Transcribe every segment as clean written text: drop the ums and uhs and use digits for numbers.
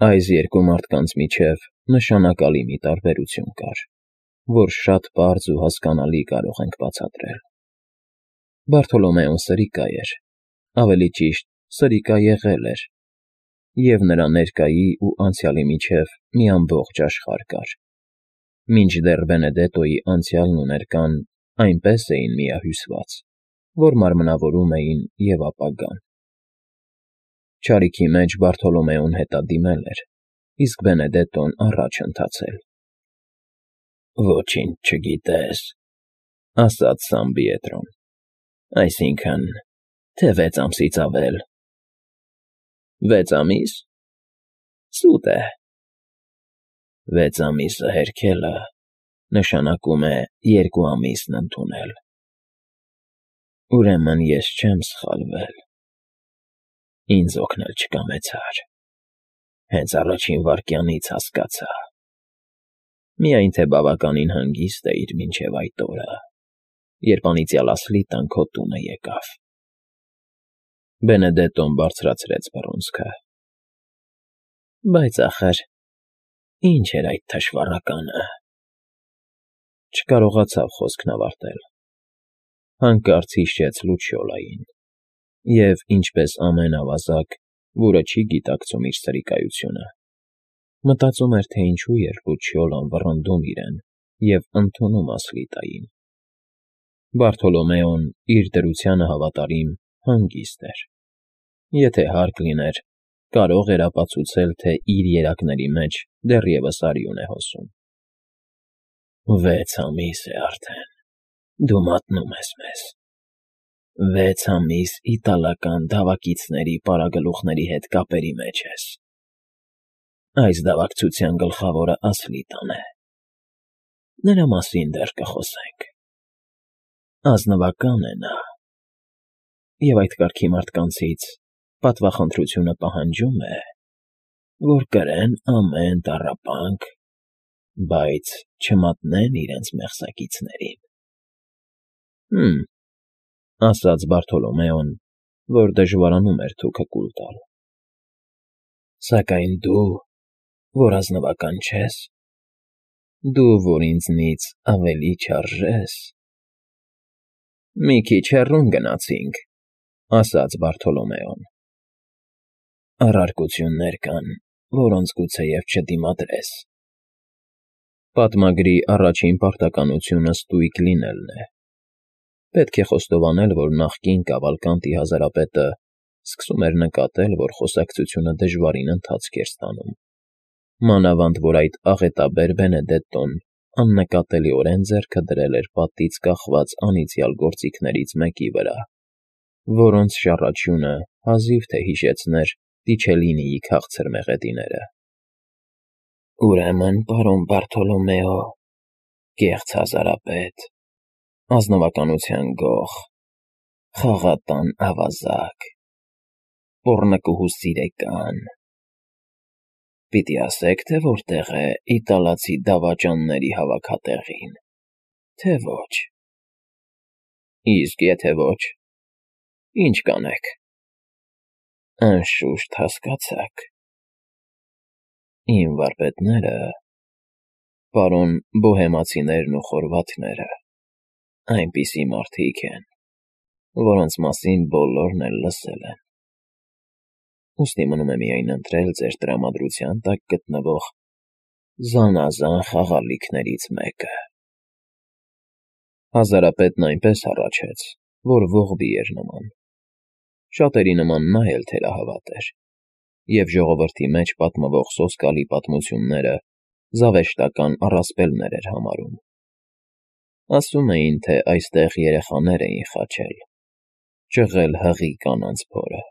Այս երկու մարդկանց միջև նշանակալի մի տարբերություն կար, որ շատ պարզ ու հասկանալի կարող ենք բացատրել. Բարթոլոմեոն սրիկա էր, ավելի ճիշտ, սրիկա եղել էր, և նրա ներկայի ու անցյալի միջև մի ամբողջ աշխարհ կար, մինչդեռ Բենեդետոյի անցյալն ու ներկան այնպես էին միահյուսված, որ մարմնավորում էին և ապագան։ Չարիքի մեջ Բարթոլոմեոն հետադիմել էր, իսկ Բենեդետոն առաջ ընթացել։ «Ոչինչ չգիտես,֊ ասաց Սամբիետրոն,֊ այսինքն, թե 6 ամսից ավել»։ 6 ամի՞ս, սուտ է։ 6 ամիսը հերքելը նշանակում է 2 ամիսն ընդունել։ Ուրեմն ես չեմ սխալվել, ինձ օգնել չկամեցար, հենց առաջին վայրկյանից հասկացա, միայն թե բավականին հանգիստ էիր մինչև այդ օրը, երբ անիծյալ Ասլիտան քո տունը եկավ։ Բենեդետոն բարձրացրեց բռունցքը։ Բայց ախր, ի՞նչ էր այդ թշվառականը։ Չկարողացավ խոսքն ավարտել, հանկարծ հիշեց Լուչիոլային և, ինչպես ամեն ավազակ, որը չի գիտակցում իր սրիկայությունը, մտածում էր, թե ինչու էր Լուչիոլան վռնդում իրեն և ընդունում Ասլիտային։ Բարթոլոմեոն, իր դրությանը հավատարիմ, հանգիստ էր։ Եթե հարկ լիներ, կարող էր ապացուցել, թե իր երակների մեջ դեռևս արյուն է հոսում։ 6 ամիս է արդեն, դու մատնում ես մեզ։ 6 ամիս իտալական դավակիցների պարագլուխների հետ կապերի մեջ ես։ Այս դավակցության գլխավորը Ասլիտան է։ Նրա մասին դեռ կխոսենք։ Ազնվական է նա։ Եվ այդ կարգի մարդկանցից պատվախնդրությունը պահանջում է, որ կրեն ամեն տառապանք, բայց չմատնեն իրենց մեղսակիցներին։ Հըմ, ասաց Բարթոլոմեոն, որ դժվարանում էր թուքը կուլ տալ։ Սակայն դու, որ ազնվական չես, դու, որ ինձնից ավելի չարժես… Մի քիչ հեռուն գնացինք, ասաց Բարթոլոմեոն։ Առարկություններ կան, որոնց գուցեև չդիմադրես։ Պատմագրի առաջին պարտականությունը ստույգ լինելն է։ Պետք է խոստովանել, որ նախկին Կավալկանտի հազարապետը սկսում էր նկատել, որ խոսակցությունը դժվարին ընթացք էր ստանում, մանավանդ որ այդ աղետաբեր Բենեդետոն աննկատելիորեն ձեռքը դրել էր պատից կախված անիծյալ գործիքներից մեկի վրա, որոնց շառաչյունը հազիվ թե հիշեցներ Տիչելինիի քաղցր մեղեդիները։ Ուրեմն, պարոն Բարթոլոմեո, կեղծ հազարապետ, ազնվականության գող, խաղաղատան ավազակ, պոռնկուհու սիրեկան… Պիտի ասեք, թե որտեղ է իտալացի դավաճանների հավաքատեղին, թե ոչ։ Իսկ եթե ոչ, ի՞նչ կանեք։ Անշուշտ հասկացաք։ Իմ վարպետները, պարոն բոհեմացիներն ու խորվաթները, այնպիսի մարդիկ են, որոնց մասին բոլորն էլ լսել են։ Ուստի մնում է միայն ընտրել ձեր տրամադրության տակ գտնվող զանազան խաղալիքներից մեկը։ Հազարապետն այնպես հառաչեց, որ ողբի էր նման։ Շատերի նման նա էլ թերահավատ էր, և ժողովրդի մեջ պատմվող սոսկալի պատմությունները զավեշտական առասպելներ էր համարում։ Ասում էին, թե այստեղ երեխաներ էին խաչել, ճղել հղի կանանց փորը։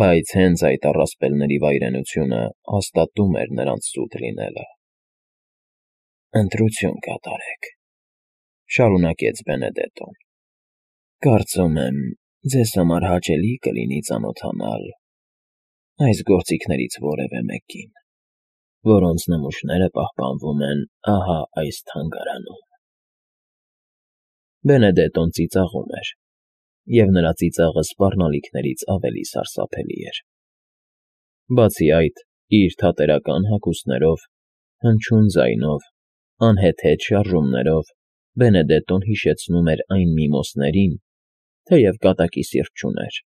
Բայց հենց այդ առասպելների վայրենությունը հաստատում էր նրանց սուտ լինելը։ Ընտրություն կատարեք,֊ շարունակեց Բենեդետոն։ Կարծում եմ, ձեզ համար հաճելի կլինի ծանոթանալ այս գործիքներից որևէ մեկին, որոնց նմուշները պահպանվում են ահա այս թանգարանում։ Բենեդետոն ծիծաղում էր, և նրա ծիծաղը սպառնալիքներից ավելի սարսափելի էր։ Բացի այդ, Իր թատերական հագուստներով, հնչյուն ձայնով, անհեթեթ շարժումներով Բենեդետտոն հիշեցնում էր այն միմոսներին, թեև կատակի սիրտ չուներ,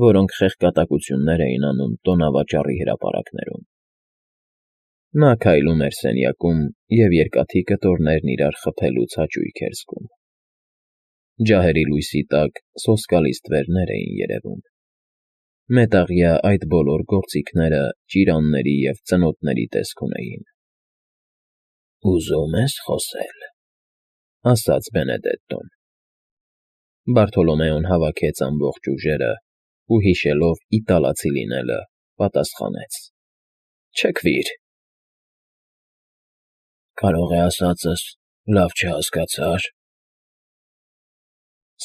որոնք խեղկատակություններ էին անում տոնավաճառի հրապարակներում։ Նա քայլում էր սենյակում և երկաթի կտորներն իրար խփելուց հաճույք էր զգում։ Ջահերի լույսի տակ սոսկալի ստվերներ էին երևում։ Մետաղյա այդ բոլոր գործիքները ճիրանների և ծնոտների տեսք ունեին։ «Ուզում ես խոսել,֊ ասաց Բենեդետտոն։ Բարթոլոմեոն հավաքեց ամբողջ ուժերը ու, հիշելով իտալացի լինելը, պատասխանեց. «Չքվիր»։ «Կարող է ասածս լավ չհասկացար»։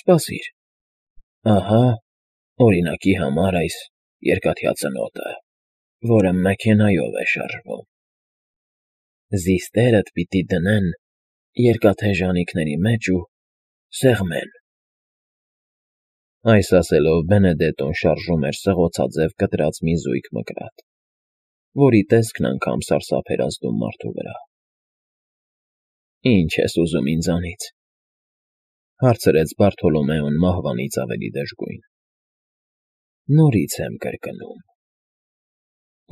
«Սպասիր, ահա, օրինակի համար այս երկաթյա ծնոտը, որը մեքենայով է շարժվում։ Զիստերդ պիտի դնեն երկաթե ժանիքների մեջ ու սեղմեն»։ Այս ասելով Բենեդետտոն շարժում էր սղոցաձև կտրած մի զույգ մկրատ, որի տեսքն անգամ սարսափ էր ազդում մարդու վրա։ «Ի՞նչ ես ուզում ինձանից,֊ հարցրեց Բարթոլոմեոն մահվանից ավելի դժգույն։ «Նորից եմ կրկնում.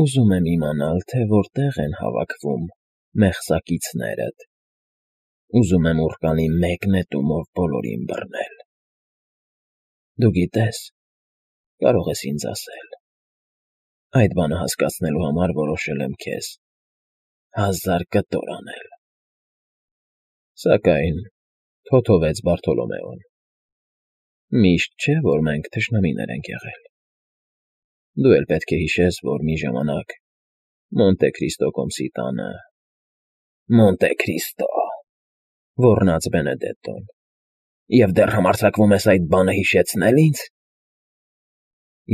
ուզում եմ իմանալ, թե որտեղ են հավաքվում մեղսակիցներդ։ Ուզում եմ ուռկանի մեկ նետումով բոլորին բռնել։ Դու գիտես, կարող ես ինձ ասել. այդ բանը հասկացնելու համար որոշել եմ քեզ 1000 կտոր անել»։ Սակայն,֊ թոթովեց Բարթոլոմեոն, «միշտ չէ, որ մենք թշնամիներ ենք եղել։ Դու էլ պետք է հիշես, որ մի ժամանակ Մոնտե Քրիստո կոմսի տանը…» «Մոնտե Քրիստո,֊ ոռնաց Բենեդետտոն,֊ և դեռ համարձակվում ես այդ բանը հիշեցնել ինձ։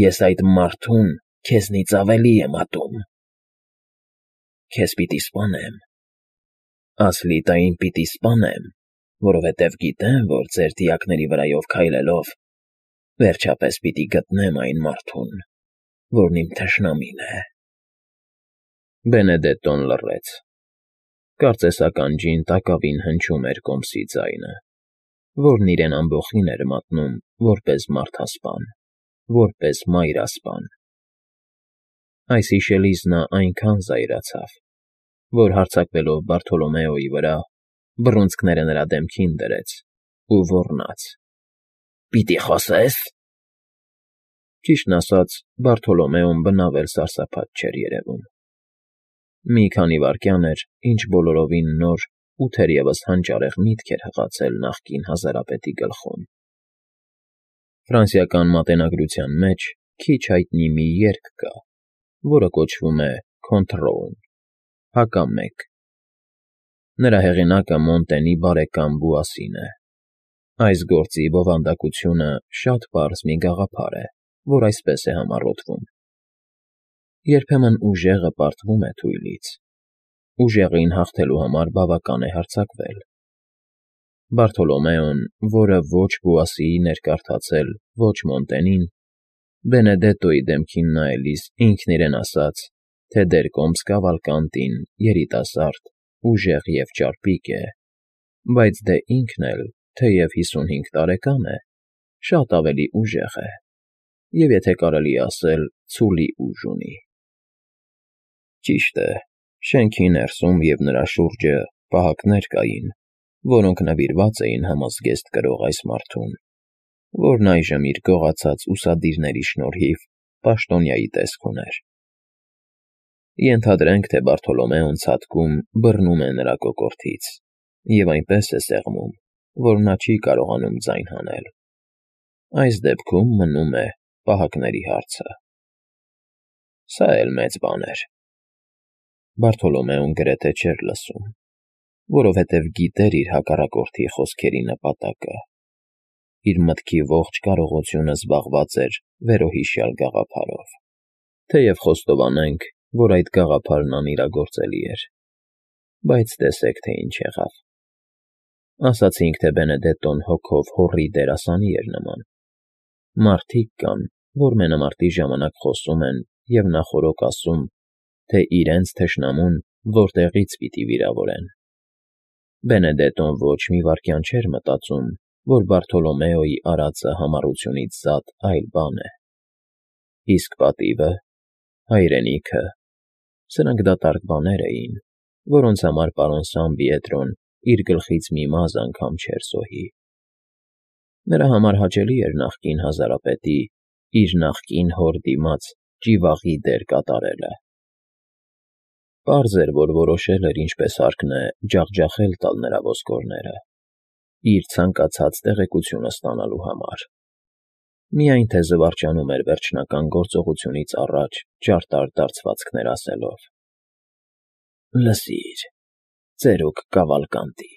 Ես այդ մարդուն քեզնից ավելի եմ ատում։ Քեզ պիտի սպանեմ, Ասլիտային պիտի սպանեմ, որովհետև գիտեմ, որ ձեր դիակների վրայով քայլելով վերջապես պիտի գտնեմ այն մարդուն, որն իմ թշնամին է»։ Բենեդետտոն լռեց։ Կարծես ականջին տակավին հնչում էր կոմսի ձայնը, որն իրեն ամբոխին էր մատնում որպես մարդասպան, որպես մայրասպան։ Այս հիշելիս նա այնքան զայրացավ, որ հարձակվելով Բարթոլոմեոյի վրա, բռունցքները նրա դեմքին դրեց ու ոռնաց. «Պիտի խոսե՞ս»։ Ճիշտն ասած, Բարթոլոմեոն բնավ էլ սարսափած չէր երևում։ Մի քանի վայրկյան էր, ինչ բոլորովին նոր ու թերևս հանճարեղ միտք էր հղացել նախկին հազարապետի գլխում։ Ֆրանսիական մատենագրության մեջ քիչ հայտնի մի երգ կա, որը կոչվում է Քոնթրոուն (հակամեկ)։ Նրա հեղինակը Մոնտենի բարեկամ Բուասին է։ Այս գործի բովանդակությունը շատ պարզ մի գաղափար է, որ այսպես է համառոթվում. երբեմն ուժեղը պարտվում է թույլից, ուժեղին հաղթելու համար բավական է հարձակվել։ Բարթոլոմեոն, որը ոչ Բուասիին էր կարդացել, ոչ Մոնտենին, Բենեդետտոյի դեմքին նայելիս ինքն իրեն ասաց, թե դեռ կոմս Կավալկանտին երիտասարդ, ուժեղ և ճարպիկ է, բայց դե ինքն էլ, թեև 55 տարեկան է, շատ ավելի ուժեղ է և, եթե կարելի է ասել, ցուլի ուժ ունի։ Ճիշտ է, շենքի ներսում և նրա շուրջը պահակներ կային, որոնք նվիրված էին համազգեստ կրող այս մարդուն, որն այժմ իր գողացած ուսադիրների շնորհիվ պաշտոնյայի տեսք ուներ։ Ենթադրենք, թե Բարթոլոմեոն ցատկում բռնում է նրա կոկորդից և այնպես է սեղմում, որ նա չի կարողանում ձայն հանել։ Այս դեպքում մնում է պահակների հարցը։ Սա էլ մեծ բան էր։ Բարթոլոմեոն գրեթե չէր լսում, որովհետև գիտեր իր հակառակորդի խոսքերի նպատակը։ Իր մտքի ողջ կարողությունը զբաղված էր վերոհիշյալ գաղափարով, թեև խոստովանենք, որ այդ գաղափարն անիրագործելի էր։ Բայց տեսեք, թե ինչ եղավ։ Ասացինք, թե Բենեդետտոն հոգով հոռի դերասանի էր նման։ Մարդիկ կան, որ մենամարտի ժամանակ խոսում են և նախօրոք ասում, թե իրենց թշնամուն որտեղից պիտի վիրավորեն։ Բենեդետոն ոչ մի վայրկյան չէր մտածում, որ Բարթոլոմեոյի արածը համառությունից զատ այլ բան է։ Իսկ պատիվը, հայրենիքը, սրանք դատարկ բաներ էին, որոնց համար պարոն Սամպիետրոն իր գլխից մի մազը անգամ չէր զոհի։ Նրա համար հաճելի էր նախկին հազարապետի իր նախկին հոր դիմաց ճիվաղի դեր կատարելը։ Պարզ էր, որ որոշել էր ինչպես հարկն է ջախջախել տալ նրա ոսկորները, իր ցանկացած տեղեկությունը ստանալու համար, միայն թե զվարճանում էր վերջնական գործողությունից առաջ ճարտար դարձվածքներ ասելով։ «Լսիր, ծերուկ Կավալկանտի»,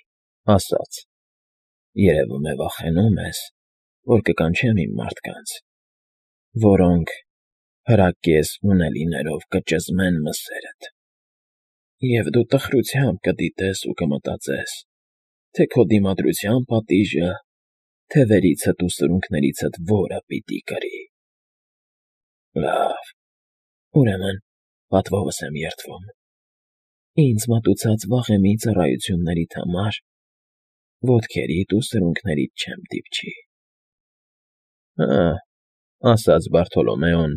ասաց, «երևում է վախենում ես, որ կկանչեմ իմ մարդկանց, որոնք հրակես ունելիներով կճզմեն մսերդ, և դու տխրությամբ կդիտես ու կմտածես, թե քո դիմադրության պատիժը թևերիցդ ու սրունքներիցդ որը պիտի կրի։ Լավ, ուրեմն պատվովս եմ երդվում։ Ինձ մատուցած վաղեմի ծառայություններիդ համար ոտքերիդ ու սրունքներիդ չեմ դիպչի»։ «Հը», ասաց Բարթոլոմեոն,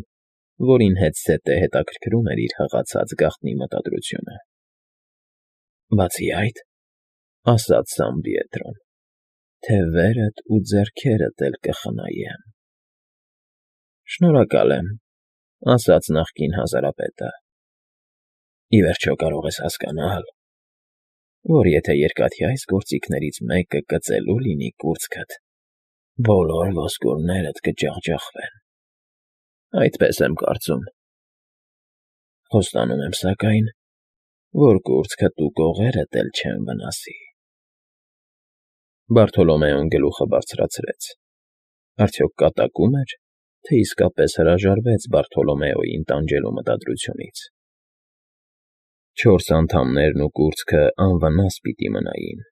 որին հետզհետե հետաքրքրում էր իր հղացած գաղտնի մտադրությունը։ «Բացի այդ», ասաց Սամպիետրոն, «թևերդ ու ձեռքերդ էլ կխնայեմ»։ «Շնորհակալ եմ», ասաց նախկին հազարապետը։ «Ի վերջո կարող ես հասկանալ, որ եթե երկաթյա այս գործիքներից մեկը կծելու լինի կուրծքդ, բոլոր ոսկորներդ կջախջախվեն։ Այդպես եմ կարծում։ Խոստանում եմ, սակայն, որ կուրծքդ ու կողերդ էլ չեն վնասի»։ Բարթոլոմեոն գլուխը բարձրացրեց։ Արդյոք կատակում էր, թե իսկապես հրաժարվեց Բարթոլոմեոյին տանջելու մտադրությունից։ 4 անդամներն ու կուրծքը անվնաս պիտի մնային,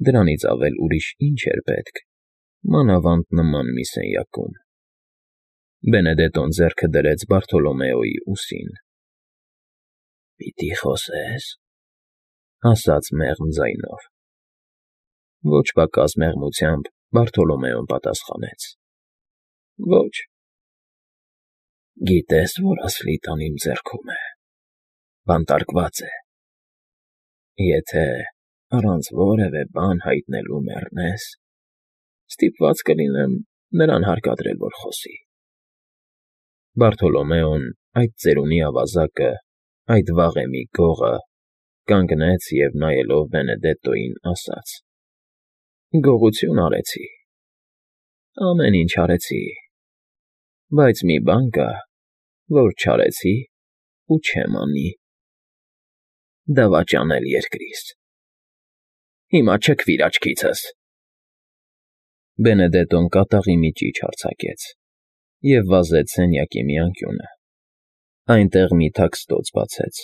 դրանից ավել ուրիշ ինչ էր պետք, մանավանդ նման մի սենյակում։ Բենեդետոն ձեռքը դրեց Բարթոլոմեոյի ուսին։ «Պիտի խոսե՞ս», ասաց մեղմ ձայնով։ Ոչ պակաս մեղմությամբ Բարթոլոմեոն պատասխանեց. «Ոչ»։ «Գիտես, որ ասլիտան իմ ձեռքում է, բանտարկված է։ Եթե առանց որևէ բան հայտնելու մեռնես, ստիպված կլինեմ նրան հարկադրել, որ խոսի»։ Բարթոլոմեոն այդ ծերունի ավազակը, այդ վաղեմի գողը, կանգնեց և, նայելով Բենեդետոյին, ասաց. «Գողություն արեցի, ամեն ինչ արեցի, բայց մի բան կա, որ չարեցի ու չեմ անի. դավաճանել երկրիս։ Հիմա չքվիր աչքիցս»։ Բենեդետոն կատաղի մի ճիչ արձակեց և վազեց սենյակի մի անկյունը։ Այնտեղ մի թաքստոց բացեց,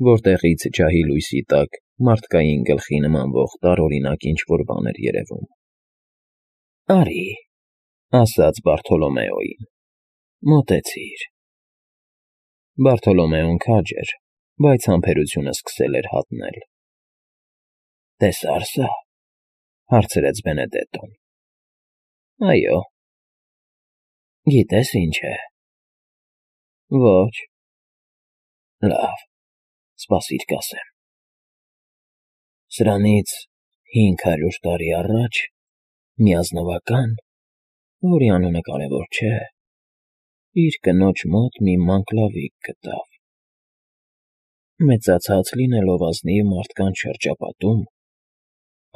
որտեղից ջահի լույսի տակ մարդկային գլխի նմանվող տարօրինակ ինչ֊որ բան էր երևում։ «Արի», ասաց Բարթոլոմեոյին, «մոտեցիր»։ Բարթոլոմեոն քաջ էր, բայց համբերությունը սկսել էր հատնել։ «Տեսա՞ր սա», հարցրեց Բենեդետոն։ «Այո»։ «Գիտե՞ս ինչ է»։ «Ոչ»։ «Լավ, սպասիր կասեմ։ Սրանից 500 տարի առաջ մի ազնվական, որի անունը կարևոր չէ, իր կնոջ մոտ մի մանկլավիկ գտավ։ Մեծացած լինելով ազնիվ մարդկանց շրջապատում,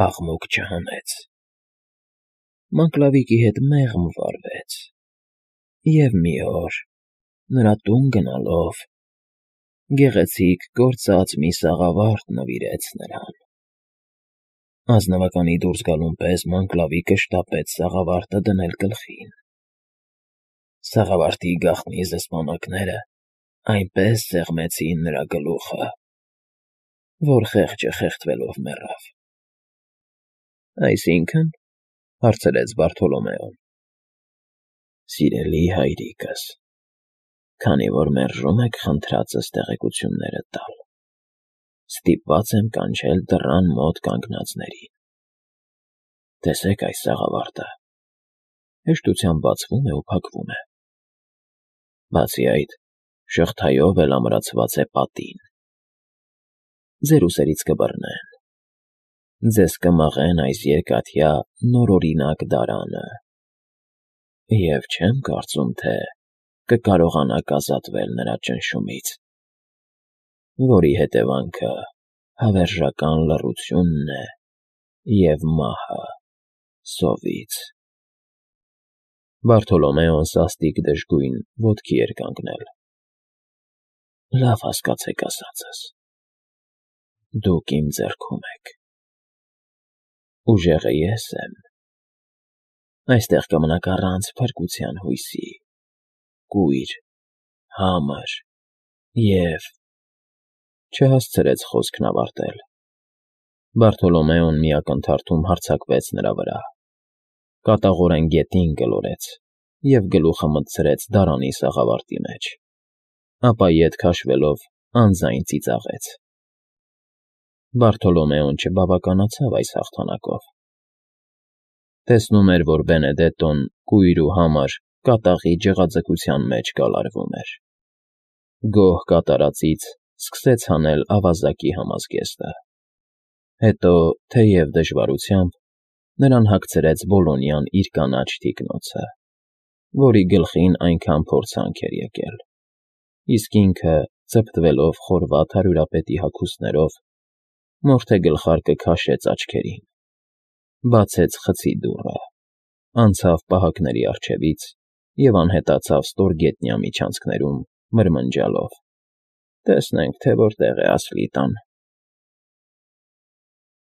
աղմուկ չհանեց։ Մանկլավիկի հետ մեղմ վարվեց, և մի օր, նրա տուն գնալով, գեղեցիկ կործած մի սաղավարտ նվիրեց նրան։ Ազնվականի դուրս գալուն պես մանկլավիկը շտապեց սաղավարտը դնել գլխին։ Սաղավարտի գաղտնի զսպանակները այնպես սեղմեցին նրա գլուխը, որ խեղճը խեղդվելով մեռավ»։ «Այսինքն»։ հարցրեց Բարթոլոմեոն։ «Սիրելի հայրիկս, Քանի որ մերժում եք խնդրածս տեղեկությունները տալ, ստիպված եմ կանչել դռան մոտ կանգնածներին։ Տեսեք այս սաղավարտը, հեշտությամբ բացվում է ու փակվում է։ Բացի այդ, շղթայով էլ ամրացված է պատին։ Ձեր ուսերից կբռնեն, ձեզ կմաղեն այս երկաթյա նորօրինակ դարանը, և չեմ կարծում, թե կկարողանաք ազատվել նրա ճնշումից, որի հետևանքը հավերժական լռությունն է և մահը սովից։ Բարթոլոմեոն սաստիկ դժգույն ոտքի էր կանգնել։ Լավ հասկացեք ասածս. դուք իմ ձեռքում եք։ Ուժեղը ես եմ։ Այստեղ կմնաք առանց փրկության հույսի, կույր, համր և… Չհասցրեց խոսքն ավարտել։ Բարթոլոմեոն մի ակնթարթում հարձակվեց նրա վրա, կատաղորեն գետին գլորեց և գլուխը մտցրեց դարանի սաղավարտի մեջ, ապա ետ քաշվելով անձայն ծիծաղեց։ Բարթոլոմեոն չբավականացավ այս հաղթանակով։ Տեսնում էր, որ Բենեդետտոն կույր ու համր կատաղի ջղաձգության մեջ կալարվում էր։ Գոհ կատարածից սկսեց հանել ավազակի համազգեստը։ Հետո, թեև դժվարությամբ, նրան հագցրեց Բոլոնյան իր կանաչ թիկնոցը, որի գլխին այնքան փորձանք էր եկել, իսկ ինքը, ձպտվելով խորված հարյուրապետի հագուստներով, մորթե գլխարկը քաշեց աչքերին, բացեց խցի դուռը, անցավ պահակների առջևից և անհետացավ ստորգետնյա միջանցքներում, մրմնջալով. «Տեսնենք, թե որտեղ է Ասլիտան»։